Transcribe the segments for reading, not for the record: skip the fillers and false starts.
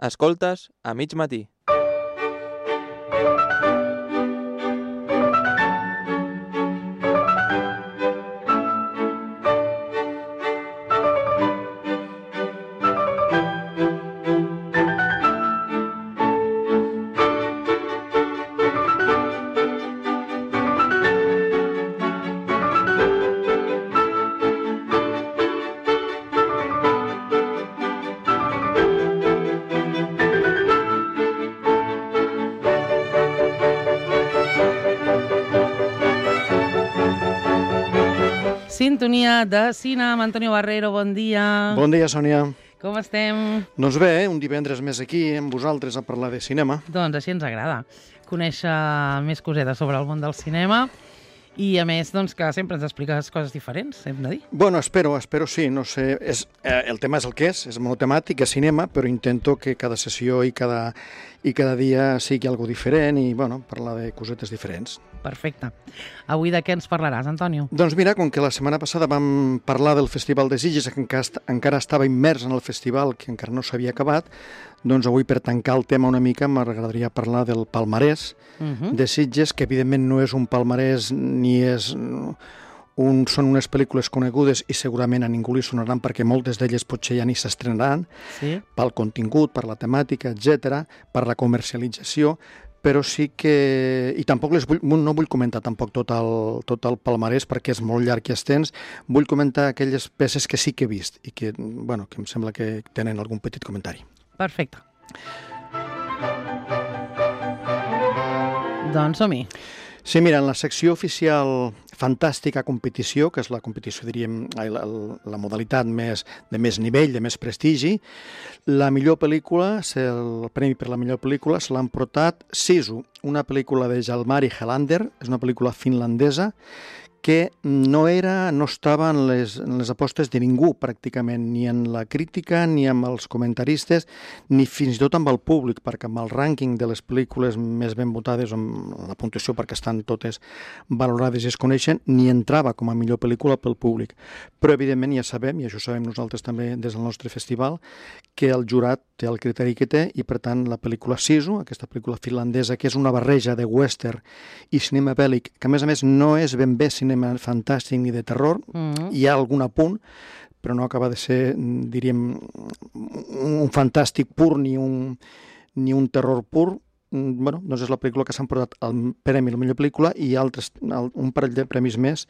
Escoltes a mig matí. Sintonia de cine amb Antonio Barrero, bon dia. Bon dia, Sònia. Com estem? Doncs bé, un divendres més aquí amb vosaltres a parlar de cinema. Doncs així ens agrada, conèixer més cosetes sobre el món del cinema i, a més, doncs, que sempre ens expliques coses diferents, hem de dir. Bueno, espero sí, no sé, el tema és el que és monotemàtic, és cinema, però intento que cada sessió i cada dia sigui algo diferent i, bueno, parlar de cosetes diferents. Perfecte. Avui de què ens parlaràs, Antonio? Doncs mira, com que la setmana passada vam parlar del Festival de Sitges, que encara estava immers en el festival, que encara no s'havia acabat, doncs avui, per tancar el tema una mica, m'agradaria parlar del palmarès de Sitges, que evidentment no és un palmarès ni és... són unes pel·lícules conegudes i segurament a ningú li sonaran perquè moltes d'elles potser ja ni s'estrenaran, pel contingut, per la temàtica, etc, per la comercialització, però sí que... I tampoc no vull comentar tampoc tot el palmarès perquè és molt llarg i extens. Vull comentar aquelles peces que sí que he vist i que, bueno, que em sembla que tenen algun petit comentari. Perfecte. Doncs som-hi. Sí, mira, en la secció oficial Fantàstica Competició, que és la competició, diríem, la modalitat de més nivell, de més prestigi, la millor pel·lícula, el premi per la millor pel·lícula se l'han portat Sisu, una pel·lícula de Jalmari Helander, és una pel·lícula finlandesa, que no estava en les apostes de ningú, pràcticament, ni en la crítica, ni amb els comentaristes, ni fins i tot amb el públic, perquè amb el rànquing de les pel·lícules més ben votades, amb la puntuació perquè estan totes valorades i es coneixen, ni entrava com a millor pel·lícula pel públic. Però, evidentment, ja sabem, i això sabem nosaltres també des del nostre festival, que el jurat té el criteri que té i, per tant, la pel·lícula Sisu, aquesta pel·lícula finlandesa, que és una barreja de western i cinema bèl·lic, que, a més, no és ben bé cinema fantàstic ni de terror, hi ha algun apunt, però no acaba de ser, diríem, un fantàstic pur ni un terror pur. Bueno, doncs és la pel·lícula que s'han portat el premi a la millor pel·lícula i un parell de premis més,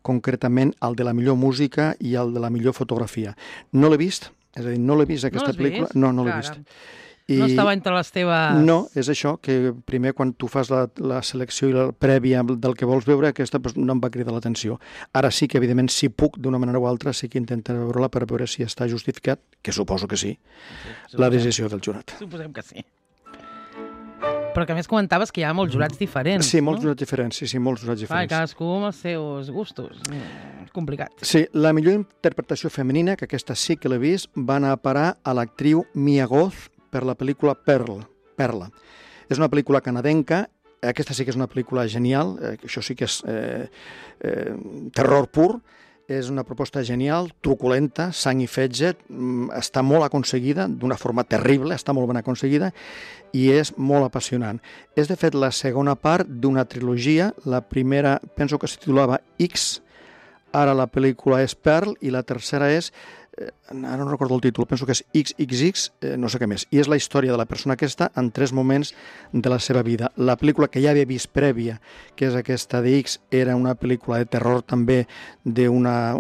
concretament el de la millor música i el de la millor fotografia. No l'he vist, és a dir, no l'he vist aquesta pel·lícula. No l'he vist. No estava entre les teves... No, és això, que primer quan tu fas la selecció i la prèvia del que vols veure, aquesta no em va cridar l'atenció. Ara sí que, evidentment, si puc, d'una manera o altra, sí que intentaré veure-la per veure si està justificat, que suposo que sí, la decisió del jurat. Suposem que sí. Però que a més comentaves que hi ha molts jurats diferents. Sí, molts jurats diferents, sí, molts jurats diferents. Cadascú amb els seus gustos. Complicat. Sí, la millor interpretació femenina, que aquesta sí que l'he vist, va anar a parar a l'actriu Mia Goth, per la pel·lícula Perla. És una pel·lícula canadenca, aquesta sí que és una pel·lícula genial, això sí que és terror pur, és una proposta genial, truculenta, sang i fetge, està molt aconseguida, d'una forma terrible, està molt ben aconseguida, i és molt apassionant. És, de fet, la segona part d'una trilogia, la primera penso que es titulava X, ara la pel·lícula és Pearl, i la tercera és ara no recordo el títol, penso que és XXX, no sé què més, i és la història de la persona aquesta en 3 moments de la seva vida. La pel·lícula que ja havia vist prèvia, que és aquesta de X, era una pel·lícula de terror també d'una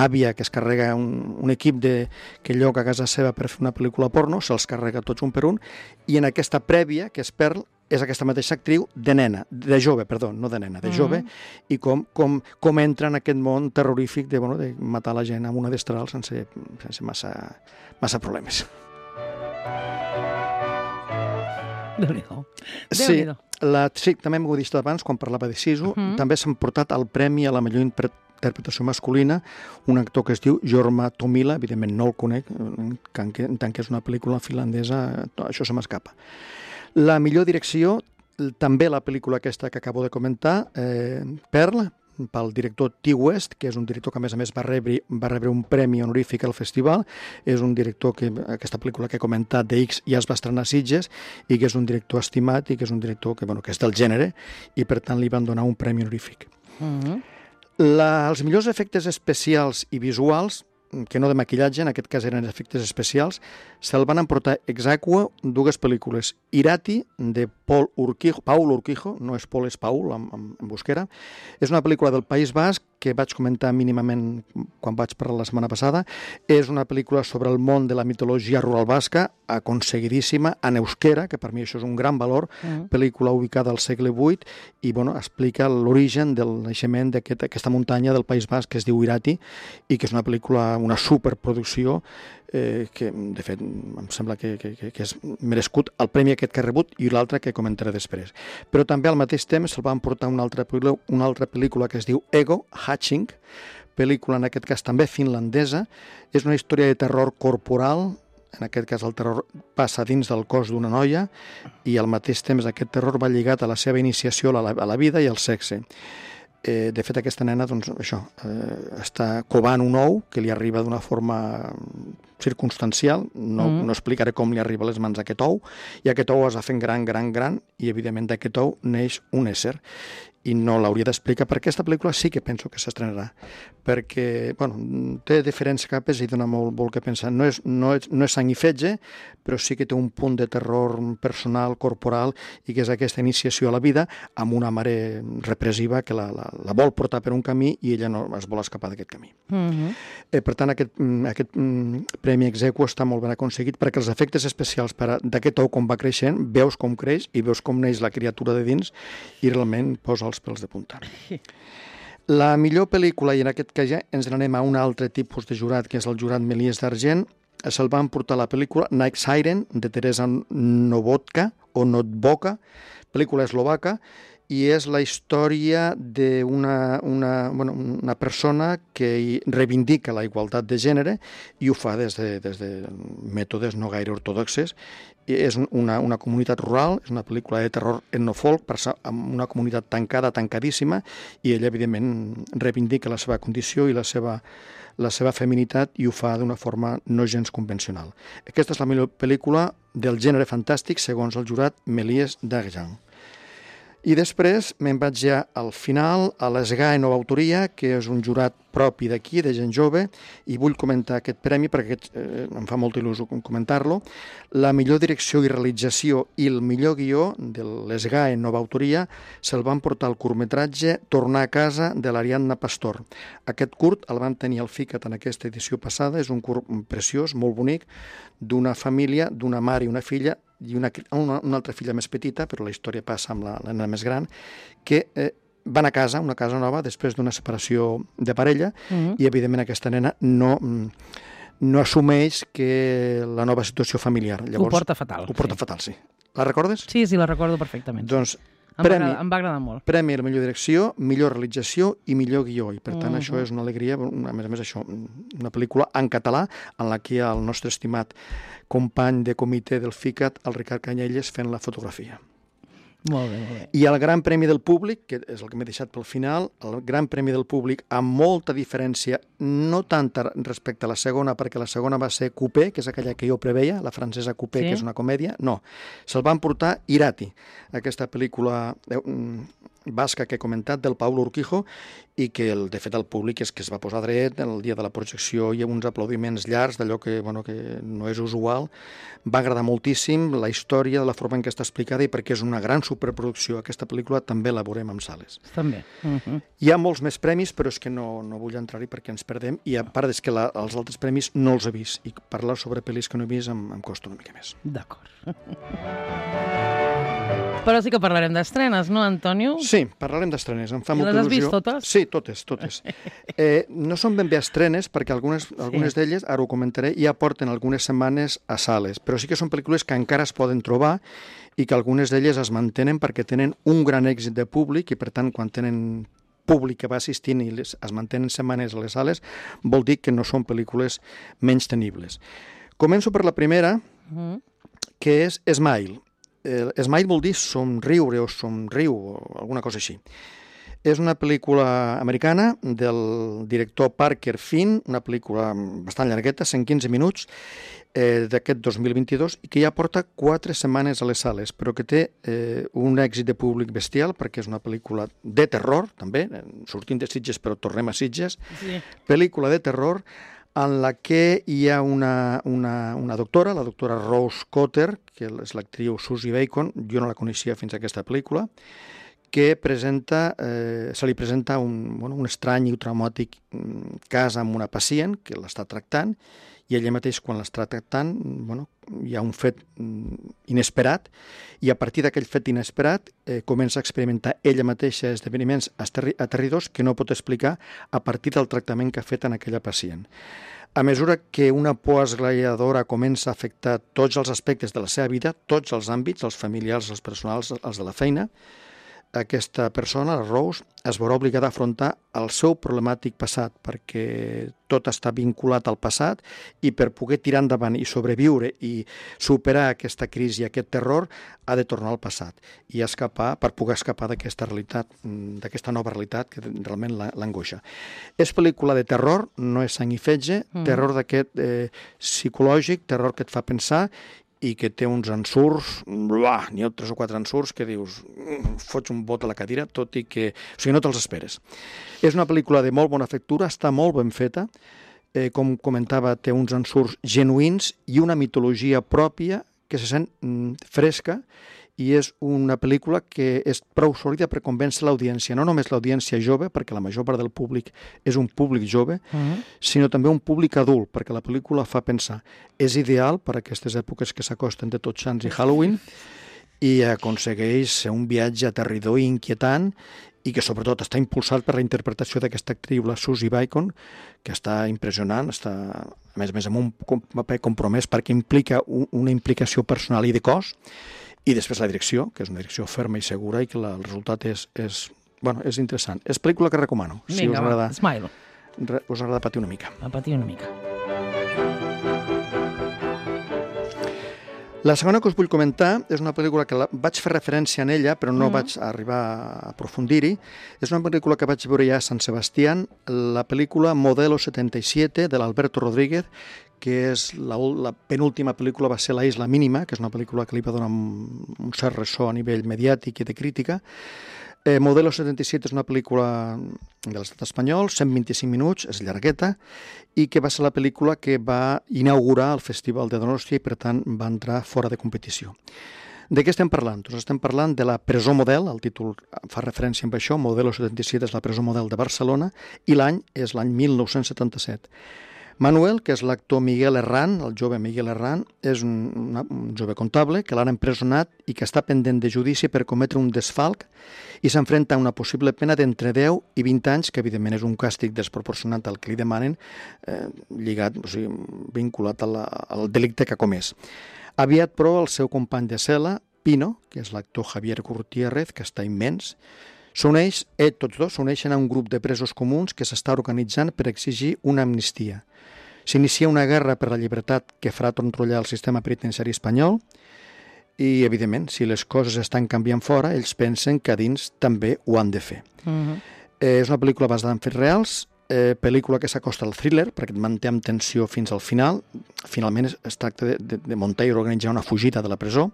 àvia que es carrega un equip que lloga a casa seva per fer una pel·lícula porno, se'ls carrega tots un per un, i en aquesta prèvia, que és Pearl, és aquesta mateixa actriu de jove, de jove, i com entra en aquest món terrorífic de matar la gent amb una destral sense massa problemes. Déu-n'hi-do. Sí, també m'ho he dit abans, quan parlava de Sisu, també s'han portat el premi a la millor interpretació masculina, un actor que es diu Jorma Tommila, evidentment no el conec, en tant que és una pel·lícula finlandesa, això se m'escapa. La millor direcció, també la pel·lícula aquesta que acabo de comentar, Pearl, pel director T. West, que és un director que a més va rebre un premi honorífic al festival. És un director que aquesta pel·lícula que he comentat de X ja es va estrenar a Sitges i que és un director estimat i que és un director que és del gènere i per tant li van donar un premi honorífic. Els millors efectes especials i visuals, que no de maquillatge, en aquest cas eren efectes especials, se'l van emportar ex aequo dues pel·lícules. Irati, de Paul Urquijo, no és Paul, és Paul, en busquera. És una pel·lícula del País Basc que vaig comentar mínimament quan vaig parlar la setmana passada. És una pel·lícula sobre el món de la mitologia rural basca, aconseguidíssima, en euskera, que per mi això és un gran valor, pel·lícula ubicada al segle VIII i explica l'origen del naixement d'aquesta muntanya del País Basc que es diu Irati i que és una pel·lícula, una superproducció que, de fet, em sembla que és merescut el premi aquest que ha rebut i l'altre que comentaré després. Però també al mateix temps se'l van portar una altra pel·lícula que es diu Ego, Hatching, pel·lícula en aquest cas també finlandesa. És una història de terror corporal, en aquest cas el terror passa dins del cos d'una noia i al mateix temps aquest terror va lligat a la seva iniciació a la vida i al sexe. De fet, aquesta nena està covant un ou que li arriba d'una forma circumstancial, no explicaré com li arriba a les mans aquest ou, i aquest ou es va fent gran, i evidentment d'aquest ou neix un ésser. I no l'hauria d'explicar, perquè aquesta pel·lícula sí que penso que s'estrenarà, perquè té diferents capes i dona molt que pensar. No és sang i fetge, però sí que té un punt de terror personal, corporal, i que és aquesta iniciació a la vida amb una mare repressiva que la vol portar per un camí i ella no es vol escapar d'aquest camí. Per tant, aquest premi ex aequo està molt ben aconseguit perquè els efectes especials d'aquest ou com va creixent, veus com creix i veus com neix la criatura de dins i realment posa els pèls de punta. La millor pel·lícula, i en aquest cas ja ens n'anem a un altre tipus de jurat, que és el jurat Méliès d'Argent, se'l van portar la pel·lícula Night Siren, de Teresa Novodka, pel·lícula eslovaca, i és la història d'una persona que reivindica la igualtat de gènere i ho fa des de mètodes no gaire ortodoxes. És una comunitat rural, és una pel·lícula de terror etnofolk, amb una comunitat tancadíssima, i ella, evidentment, reivindica la seva condició i la seva feminitat i ho fa d'una forma no gens convencional. Aquesta és la millor pel·lícula del gènere fantàstic segons el jurat Méliès d'Argent. I després me'n vaig ja al final, a l'ESGAE Nova Autoria, que és un jurat propi d'aquí, de gent jove, i vull comentar aquest premi perquè em fa molta il·lusió comentar-lo. La millor direcció i realització i el millor guió de l'ESGAE Nova Autoria se'l van portar al curtmetratge Tornar a casa, de l'Ariadna Pastor. Aquest curt el van tenir al FICAT en aquesta edició passada, és un curt preciós, molt bonic, d'una família, d'una mare i una filla, i una altra filla més petita, però la història passa amb la nena més gran, que van a casa, una casa nova, després d'una separació de parella, i evidentment aquesta nena no assumeix que la nova situació familiar. Llavors, ho porta fatal. Ho porta fatal, sí. La recordes? Sí, la recordo perfectament. Doncs em va agradar molt. Premi a la millor direcció, millor realització i millor guió. I per tant això és una alegria, a més això, una pel·lícula en català en la que hi ha el nostre estimat company de comitè del FICAT, el Ricard Canyelles, fent la fotografia. Molt bé, molt bé. I el Gran Premi del Públic, que és el que m'he deixat pel final, el Gran Premi del Públic amb molta diferència, no tanta respecte a la segona, perquè la segona va ser Coupé, que és aquella que jo preveia, la francesa Coupé, que és una comèdia, no. Se'l van portar Irati, aquesta pel·lícula basca que he comentat, del Paul Urquijo, i que, de fet, el públic és que es va posar dret el dia de la projecció i uns aplaudiments llargs d'allò que no és usual. Va agradar moltíssim la història, de la forma en què està explicada, i perquè és una gran superproducció. Aquesta pel·lícula també la veurem en sales. També. Hi ha molts més premis, però és que no vull entrar-hi perquè ens perdem, i a part és que els altres premis no els he vist, i parlar sobre pel·lis que no he vist em costa una mica més. D'acord. Però sí que parlarem d'estrenes, no, Antonio? Sí, parlarem d'estrenes. Em fa molta il·lusió. Les has vist totes? Sí, totes. No són ben bé estrenes, perquè algunes d'elles, ara ho comentaré, ja porten algunes setmanes a sales, però sí que són pel·lícules que encara es poden trobar i que algunes d'elles es mantenen perquè tenen un gran èxit de públic i, per tant, quan tenen públic que va assistint i es mantenen setmanes a les sales, vol dir que no són pel·lícules menys tenibles. Començo per la primera, que és Smile. Smile vol dir somriure o somriu o alguna cosa així. És una pel·lícula americana del director Parker Finn, una pel·lícula bastant llargueta, 115 minuts, d'aquest 2022, i que ja porta 4 setmanes a les sales, però que té un èxit de públic bestial, perquè és una pel·lícula de terror, també, sortint de Sitges, però tornem a Sitges, Sí. pel·lícula de terror, en la que hi ha una doctora, la doctora Rose Cotter, que és l'actriu Susie Bacon, jo no la coneixia fins a aquesta pel·lícula, que se li presenta un estrany i traumàtic cas amb una pacient que l'està tractant, i ella mateix, quan l'està tractant, hi ha un fet inesperat, i a partir d'aquell fet inesperat comença a experimentar ella mateixa esdeveniments aterridors que no pot explicar a partir del tractament que ha fet en aquella pacient. A mesura que una por esglaiadora comença a afectar tots els aspectes de la seva vida, tots els àmbits, els familiars, els personals, els de la feina, aquesta persona, la Rose, es veurà obligada a afrontar el seu problemàtic passat, perquè tot està vinculat al passat, i per poder tirar endavant i sobreviure i superar aquesta crisi i aquest terror, ha de tornar al passat i per poder escapar d'aquesta realitat, d'aquesta nova realitat que realment l'angoixa. És pel·lícula de terror, no és sang i fetge, terror d'aquest psicològic, terror que et fa pensar, i que té uns ensurts, n'hi ha 3 o 4 ensurts que dius, fots un bot a la cadira, tot i que... O sigui, no te'ls esperes. És una pel·lícula de molt bona factura, està molt ben feta, com comentava, té uns ensurts genuïns i una mitologia pròpia que se sent fresca, i és una pel·lícula que és prou sòlida per convèncer l'audiència, no només l'audiència jove, perquè la major part del públic és un públic jove, sinó també un públic adult, perquè la pel·lícula fa pensar. És ideal per a aquestes èpoques que s'acosten de Tots Sants i Halloween, i aconsegueix ser un viatge aterridor i inquietant, i que sobretot està impulsat per la interpretació d'aquesta actriu, la Susie Bacon, que està impressionant, està a més amb un paper compromès perquè implica una implicació personal i de cos, i després la direcció, que és una direcció ferma i segura, i que el resultat és interessant. És pel·lícula que recomano. Vinga, va, Smile. Us agrada patir una mica. A patir una mica. La segona que us vull comentar és una pel·lícula que vaig fer referència en ella, però no vaig arribar a aprofundir-hi. És una pel·lícula que vaig veure ja a Sant Sebastián, la pel·lícula Modelo 77, de l'Alberto Rodríguez, que és la penúltima pel·lícula, va ser La Isla Mínima, que és una pel·lícula que li va donar un cert ressò a nivell mediàtic i de crítica. Modelo 77 és una pel·lícula de l'estat espanyol, 125 minuts, és llargueta, i que va ser la pel·lícula que va inaugurar el Festival de Donòstia i, per tant, va entrar fora de competició. De què estem parlant? Doncs estem parlant de la presó model, el títol fa referència amb això, Modelo 77 és la presó model de Barcelona, i l'any és l'any 1977. Manuel, que és l'actor Miguel Herrán, el jove Miguel Herrán, és un jove comptable que l'han empresonat i que està pendent de judici per cometre un desfalc i s'enfrenta a una possible pena d'entre 10 i 20 anys, que evidentment és un càstig desproporcionat al que li demanen, lligat, o sigui, vinculat al delicte que ha comès. Aviat, però, el seu company de cel·la, Pino, que és l'actor Javier Gutiérrez, que està immens, tots dos s'uneixen a un grup de presos comuns que s'està organitzant per exigir una amnistia. S'inicia una guerra per la llibertat que farà trontrollar el sistema penitenciari espanyol i, evidentment, si les coses estan canviant fora, ells pensen que a dins també ho han de fer. És una pel·lícula basada en fets reals, pel·lícula que s'acosta al thriller, perquè et manté amb tensió fins al final. Finalment es tracta de muntar i organitzar una fugida de la presó.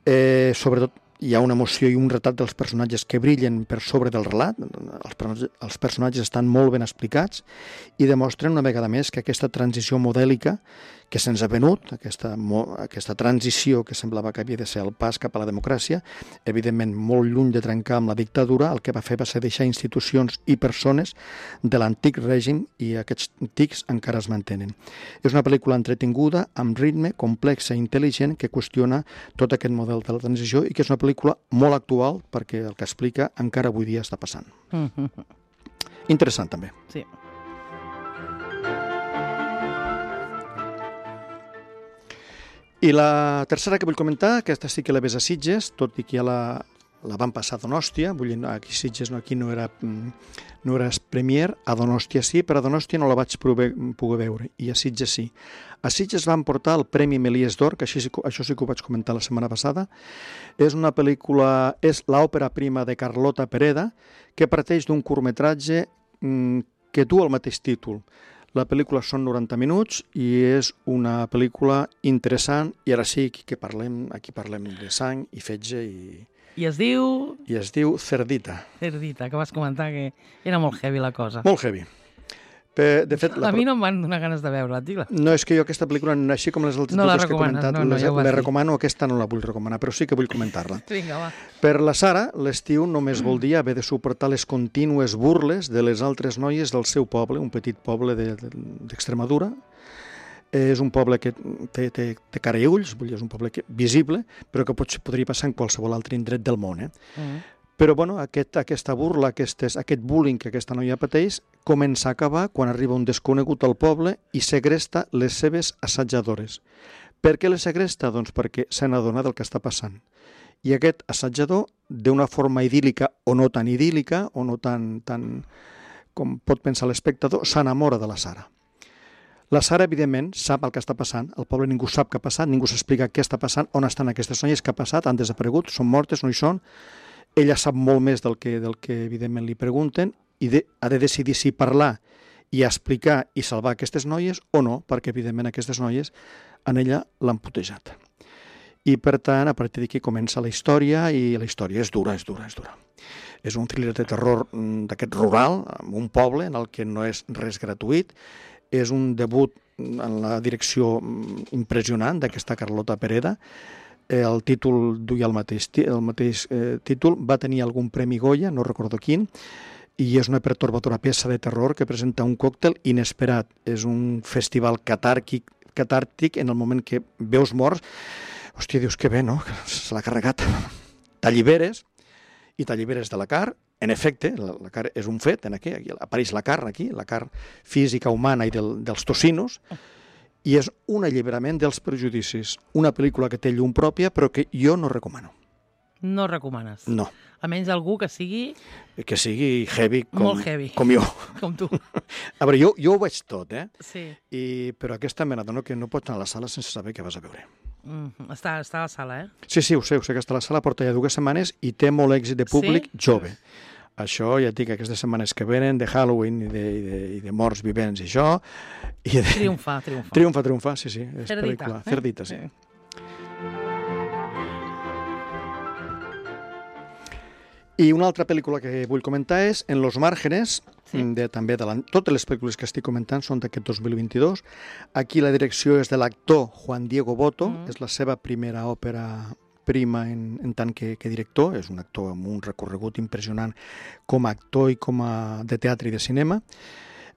Sobretot hi ha una emoció i un retrat dels personatges que brillen per sobre del relat. Els personatges estan molt ben explicats i demostren una vegada més que aquesta transició modèlica que se'ns ha venut, aquesta transició que semblava que havia de ser el pas cap a la democràcia, evidentment molt lluny de trencar amb la dictadura, el que va fer va ser deixar institucions i persones de l'antic règim, i aquests tics encara es mantenen. És una pel·lícula entretinguda, amb ritme, complexa i intel·ligent, que qüestiona tot aquest model de la transició i que és una pel·lícula molt actual perquè el que explica encara avui dia està passant. Interessant també. Sí. I la tercera que vull comentar, aquesta sí que la ves a Sitges, tot i que ja la van passar a Donòstia, vull dir, aquí a Sitges aquí no era premier, a Donòstia sí, però a Donòstia no la vaig poder veure, i a Sitges sí. A Sitges van portar el Premi Melies d'Or, que això sí que ho vaig comentar la setmana passada. És una pel·lícula, és l'òpera prima de Carlota Pereda, que parteix d'un curtmetratge que du el mateix títol. La pel·lícula són 90 minuts i és una pel·lícula interessant, i ara sí que aquí parlem de sang i fetge I es diu... I es diu Cerdita. Cerdita, que vas comentar que era molt heavy la cosa. Molt heavy. De fet, A mi no em van donar ganes de veure-la, digue-la. No, és que jo aquesta pel·lícula, així com les altres dues que he comentat, les recomano, aquesta no la vull recomanar, però sí que vull comentar-la. Vinga, va. Per la Sara, l'estiu només vol dir haver de suportar les contínues burles de les altres noies del seu poble, un petit poble d'Extremadura. És un poble que té cara i ulls, vull dir, és un poble visible, però que podria passar en qualsevol altre indret del món. Però bueno, aquesta burla, aquest bullying que aquesta noia pateix, comença a acabar quan arriba un desconegut al poble i segresta les seves assajadores. Per què les segresta? Doncs perquè se n'adona del que està passant. I aquest assajador, d'una forma idíl·lica o no tan idíl·lica, o no tan com pot pensar l'espectador, s'enamora de la Sara. La Sara, evidentment, sap el que està passant. Al poble ningú sap què ha passat, ningú s'explica què està passant, on estan aquestes noies, què ha passat, han desaparegut, són mortes, no hi són. Ella sap molt més del que evidentment li pregunten, i ha de decidir si parlar i explicar i salvar aquestes noies o no, perquè evidentment aquestes noies en ella l'han putejat. I per tant, a partir d'aquí comença la història, i la història és dura. És un thriller de terror d'aquest rural, en un poble en el que no és res gratuït. És un debut en la direcció impressionant d'aquesta Carlota Pereda. El títol duia el mateix títol, va tenir algun premi Goya, no recordo quin, i és una pertorbadora peça de terror que presenta un còctel inesperat. És un festival catàrtic en el moment que veus morts. Hòstia, dius que bé, no? Se l'ha carregat. T'alliberes de la carn. En efecte, la carn és un fet, aquí apareix la carn, la carn física humana i dels tocinos, i és un alliberament dels prejudicis. Una pel·lícula que té llum pròpia, però que jo no recomano. No recomanes? No. A menys algú que sigui... Que sigui heavy, molt heavy. Com jo. Com tu. A veure, jo ho veig tot, Sí. Però aquesta me n'adono que no pots anar a la sala sense saber què vas a veure. Està a la sala, Sí, ho sé que està a la sala, porta ja 2 setmanes i té molt èxit de públic jove. Això, ja et dic, aquestes setmanes que venen de Halloween i de morts vivents i això... Triomfa. Triomfa, sí. És Cerdita. Pel·lícula. Cerdita, sí. I una altra pel·lícula que vull comentar és En los márgenes, totes les pel·lícules que estic comentant són d'aquest 2022. Aquí la direcció és de l'actor Juan Diego Botto, és la seva primera òpera prima en tant que director. És un actor amb un recorregut impressionant com a actor i com a de teatre i de cinema.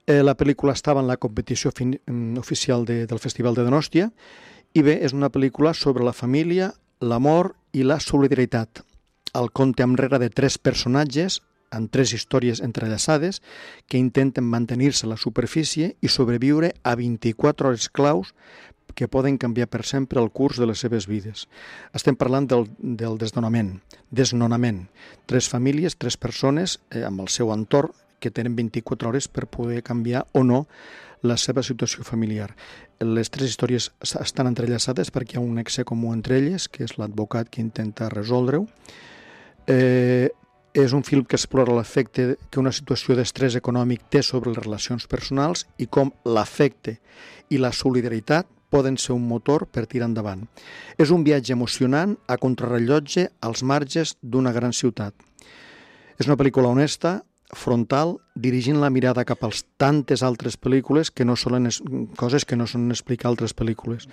La pel·lícula estava en la competició oficial del Festival de Donòstia, i bé, és una pel·lícula sobre la família, l'amor i la solidaritat. El conte enrere de 3 personatges amb 3 històries entrellaçades que intenten mantenir-se a la superfície i sobreviure a 24 hores claus que poden canviar per sempre el curs de les seves vides. Estem parlant del desnonament. 3 famílies, 3 persones amb el seu entorn que tenen 24 hores per poder canviar o no la seva situació familiar. Les 3 històries estan entrellaçades perquè hi ha un nexe comú entre elles, que és l'advocat que intenta resoldre-ho. És un film que explora l'efecte que una situació d'estrès econòmic té sobre les relacions personals i com l'afecte i la solidaritat poden ser un motor per tirar endavant. És un viatge emocionant a contrarrellotge als marges d'una gran ciutat. És una pel·lícula honesta, frontal, dirigint la mirada cap als tantes altres pel·lícules que no solen coses que no solen explicar altres pel·lícules.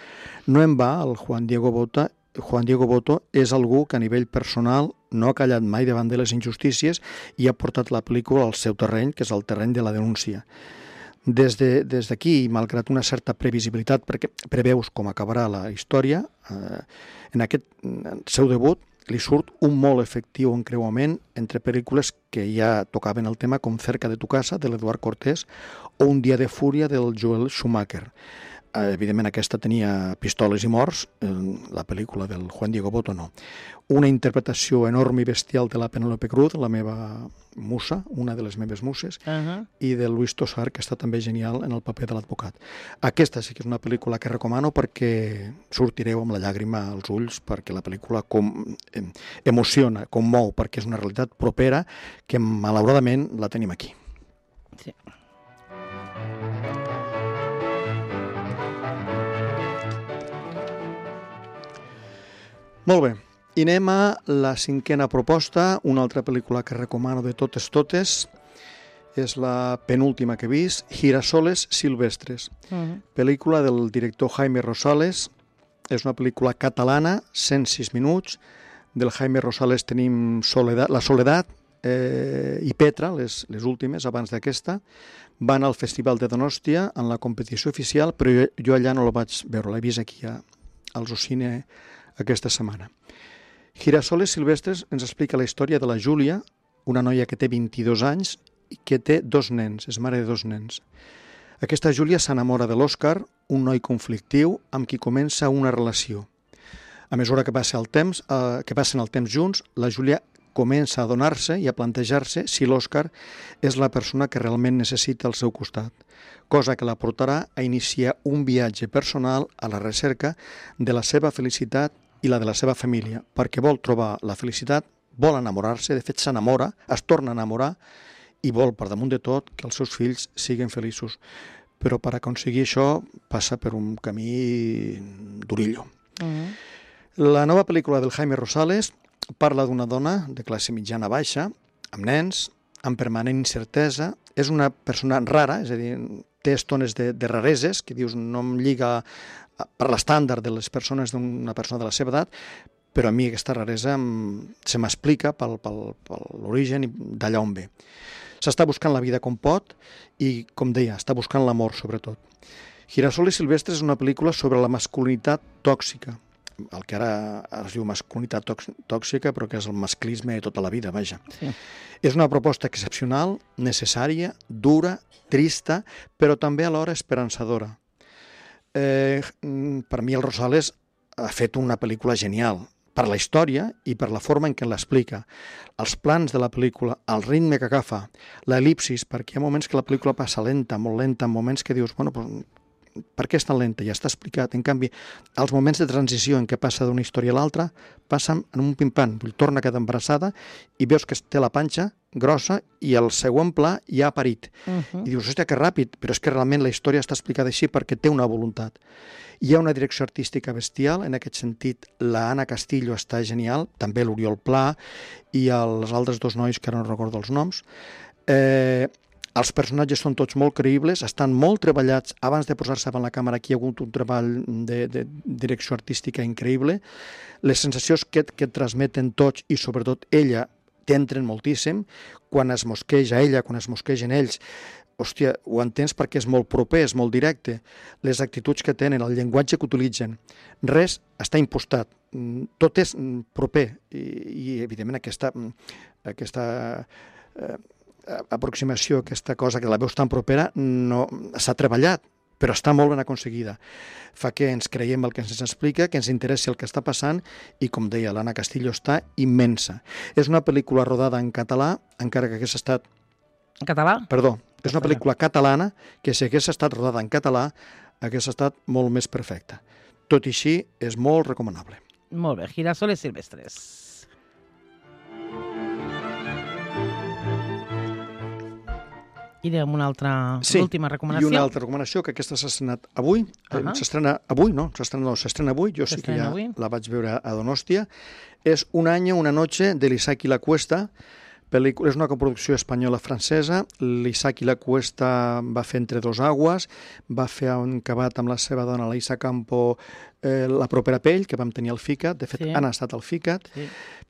No en va, el Juan Diego Botto és algú que a nivell personal no ha callat mai davant de les injustícies i ha portat la pel·lícula al seu terreny, que és el terreny de la denúncia. Des d'aquí, malgrat una certa previsibilitat, perquè preveus com acabarà la història, en aquest seu debut li surt un molt efectiu encreuament entre pel·lícules que ja tocaven el tema, com Cerca de tu casa, de l'Eduard Cortés, o Un dia de fúria, del Joel Schumacher. evidentment aquesta tenia pistoles i morts, la pel·lícula del Juan Diego Botto no. Una interpretació enorme i bestial de la Penélope Cruz, la meva musa, una de les meves muses, i de Luis Tosar, que està també genial en el paper de l'advocat. Aquesta sí que és una pel·lícula que recomano perquè sortireu amb la llàgrima als ulls, perquè la pel·lícula emociona, commou, perquè és una realitat propera que malauradament la tenim aquí. Sí. Molt bé, i anem a la cinquena proposta, una altra pel·lícula que recomano de totes, és la penúltima que he vist, Girasoles silvestres, pel·lícula del director Jaime Rosales, és una pel·lícula catalana, 106 minuts, del Jaime Rosales tenim La Soledat i Petra, les últimes, abans d'aquesta, van al Festival de Donòstia en la competició oficial, però jo allà no la vaig veure, l'he vist aquí al Zocine aquesta setmana. Girasoles silvestres ens explica la història de la Júlia, una noia que té 22 anys i que té 2 nens, és mare de 2 nens. Aquesta Júlia s'enamora de l'Òscar, un noi conflictiu amb qui comença una relació. A mesura que passen el temps junts, la Júlia comença a adonar-se i a plantejar-se si l'Òscar és la persona que realment necessita al seu costat, cosa que la portarà a iniciar un viatge personal a la recerca de la seva felicitat i la de la seva família, perquè vol trobar la felicitat, vol enamorar-se, de fet s'enamora, es torna a enamorar i vol, per damunt de tot, que els seus fills siguin feliços. Però per aconseguir això passa per un camí durillo. La nova pel·lícula del Jaime Rosales parla d'una dona de classe mitjana baixa, amb nens, amb permanent incertesa, és una persona rara, és a dir, té estones de rareses, que dius no em lliga per l'estàndard de les persones d'una persona de la seva edat, però a mi aquesta raresa se m'explica per l'origen i d'allà on ve. S'està buscant la vida com pot i, com deia, està buscant l'amor, sobretot. Girasoles silvestres és una pel·lícula sobre la masculinitat tòxica, el que ara es diu masculinitat tòxica, però que és el masclisme de tota la vida, vaja. Sí. És una proposta excepcional, necessària, dura, trista, però també alhora esperançadora. Per mi el Rosales ha fet una pel·lícula genial, per la història i per la forma en què l'explica. Els plans de la pel·lícula, el ritme que agafa, l'el·lipsis, perquè hi ha moments que la pel·lícula passa lenta, molt lenta, moments que dius, bueno, per què és tan lenta? Ja està explicat. En canvi, els moments de transició en què passa d'una història a l'altra passen en un pim-pam. Torna a quedar embarassada i veus que té la panxa grossa i el següent pla ja ha parit. I dius, hòstia, que ràpid, però és que realment la història està explicada així perquè té una voluntat. Hi ha una direcció artística bestial, en aquest sentit la Anna Castillo està genial, també l'Oriol Pla i els altres 2 nois que ara no recordo els noms. Els personatges són tots molt creïbles, estan molt treballats. Abans de posar-se davant la càmera aquí hi ha hagut un treball de direcció artística increïble. Les sensacions que transmeten tots i sobretot ella t'entren moltíssim. Quan es mosqueja ella, quan es mosquegen ells, hòstia, ho entens perquè és molt proper, és molt directe. Les actituds que tenen, el llenguatge que utilitzen, res està impostat. Tot és proper i evidentment aquesta aproximació, aquesta cosa que la veus tan propera, no s'ha treballat, però està molt ben aconseguida. Fa que ens creiem el que ens explica, que ens interessi el que està passant i, com deia, l'Anna Castillo està immensa. És una pel·lícula rodada en català, encara que hagués estat... En català? Perdó, és una pel·lícula catalana que si hagués estat rodada en català hagués estat molt més perfecta. Tot i així, és molt recomanable. Molt bé, Girasoles silvestres. I amb una altra, l'última recomanació. I una altra recomanació, que aquesta s'ha estrenat avui. S'estrena avui, no? S'estrena avui, jo sí que ja la vaig veure a Donòstia. És Un año, una noche, de l'Isaki La Cuesta. És una coproducció espanyola-francesa. L'Isaki La Cuesta va fer Entre dos aguas, va fer un acabat amb la seva dona, la Isa Campo, La propera pell, que vam tenir al FICAT. De fet, han estat al FICAT.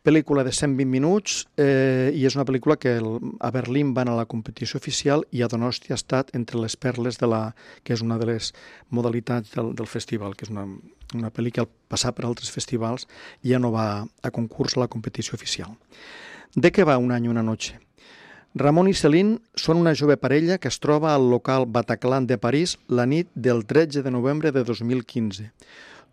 Pel·lícula de 120 minuts i és una pel·lícula que a Berlín van a la competició oficial i a Donòstia ha estat entre les perles que és una de les modalitats del festival, que és una pel·li que al passar per altres festivals ja no va a concurs a la competició oficial. De què va Un año, una noche? Ramon i Céline són una jove parella que es troba al local Bataclan de París la nit del 13 de novembre de 2015.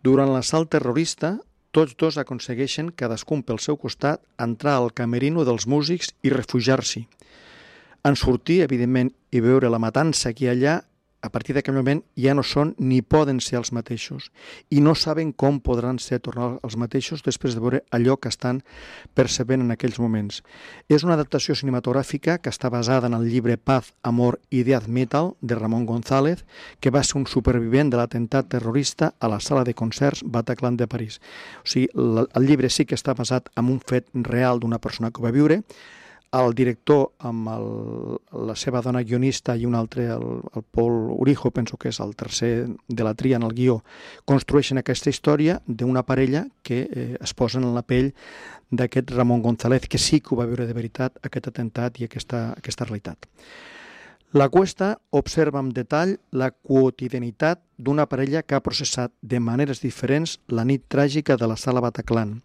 Durant l'assalt terrorista, tots dos aconsegueixen, cadascun pel seu costat, entrar al camerino dels músics i refugiar-s'hi. En sortir, evidentment, i veure la matança que hi ha allà, a partir d'aquell moment ja no són ni poden ser els mateixos i no saben com podran ser tornar els mateixos després de veure allò que estan percebent en aquells moments. És una adaptació cinematogràfica que està basada en el llibre Paz, Amor y Death Metal de Ramon González, que va ser un supervivent de l'atemptat terrorista a la sala de concerts Bataclan de París. O sigui, el llibre sí que està basat en un fet real d'una persona que ho va viure. El director, amb la seva dona guionista i un altre, el Paul Urijo, penso que és el tercer de la tria en el guió, construeixen aquesta història d'una parella que es posen en la pell d'aquest Ramon González, que sí que ho va viure de veritat, aquest atemptat i aquesta realitat. La Cuesta observa amb detall la quotidianitat d'una parella que ha processat de maneres diferents la nit tràgica de la sala Bataclan,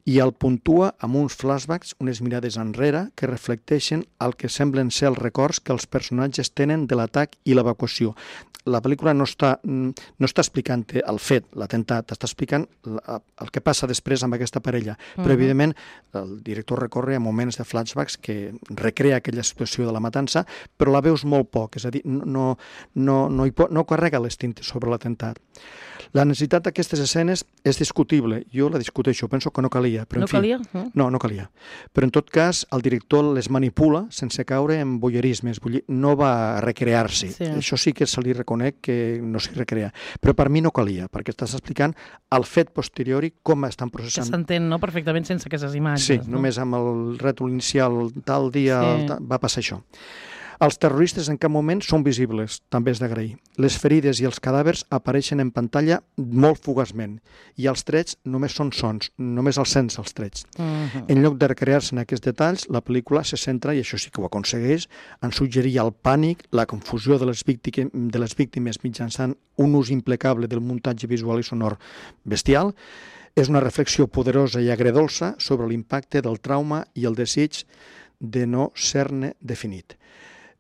i el puntua amb uns flashbacks, unes mirades enrere, que reflecteixen el que semblen ser els records que els personatges tenen de l'atac i l'evacuació. La pel·lícula no està explicant el fet, l'atemptat, està explicant el que passa després amb aquesta parella. Però, evidentment, el director recorre a moments de flashbacks que recrea aquella situació de la matança, però la veus molt poc, és a dir, no carrega les tintes sobre l'atemptat. La necessitat d'aquestes escenes és discutible. Jo la discuteixo, penso que no calia. Però, no calia? No calia. Però, en tot cas, el director les manipula sense caure en voyeurismes. No va recrear-s'hi. Sí. Això sí que se li reconec que no s'hi recrea. Però per mi no calia, perquè estàs explicant el fet posteriori, com estan processant. Que s'entén, no?, perfectament sense aquestes imatges. Sí, només amb el rètol inicial, tal dia va passar això. Els terroristes en cap moment són visibles, també és d'agrair. Les ferides i els cadàvers apareixen en pantalla molt fugaçment i els trets només són sons, només els sents els trets. En lloc de recrear-se en aquests detalls, la pel·lícula se centra, i això sí que ho aconsegueix, en suggerir el pànic, la confusió de les víctimes mitjançant un ús impecable del muntatge visual i sonor bestial. És una reflexió poderosa i agredolça sobre l'impacte del trauma i el desig de no ser-ne definit.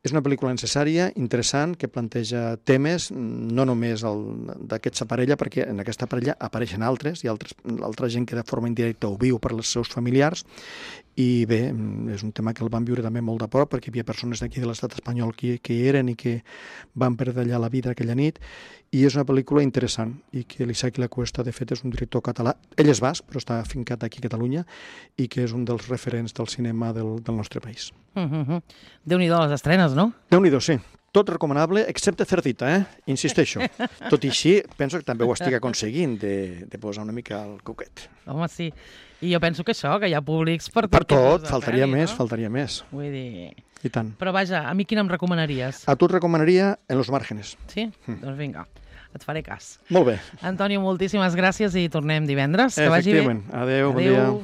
És una pel·lícula necessària, interessant, que planteja temes, no només d'aquesta parella, perquè en aquesta parella apareixen altres, i altra gent que de forma indirecta ho viu per als seus familiars, i bé, és un tema que el van viure també molt de prop, perquè hi havia persones d'aquí de l'estat espanyol que hi eren i que van perdre allà la vida aquella nit, i és una pel·lícula interessant, i que l'Isaac La Cuesta, de fet, és un director català. Ell és basc, però està afincat aquí a Catalunya, i que és un dels referents del cinema del nostre país. Déu-n'hi-do les estrenes, no? Déu-n'hi-do, sí. Tot recomanable, excepte Cerdita, insisteixo. Tot i així, penso que també ho estic aconseguint, de posar una mica el coquet. Home, sí. I jo penso que això, que hi ha públics per tot. Per tot, faltaria més. Vull dir... I tant. Però vaja, a mi quina em recomanaries? A tu et recomanaria En los márgenes. Sí? Doncs vinga, et faré cas. Molt bé. Antonio, moltíssimes gràcies i tornem divendres. Que vagi bé. Efectivament. Adéu, bon dia.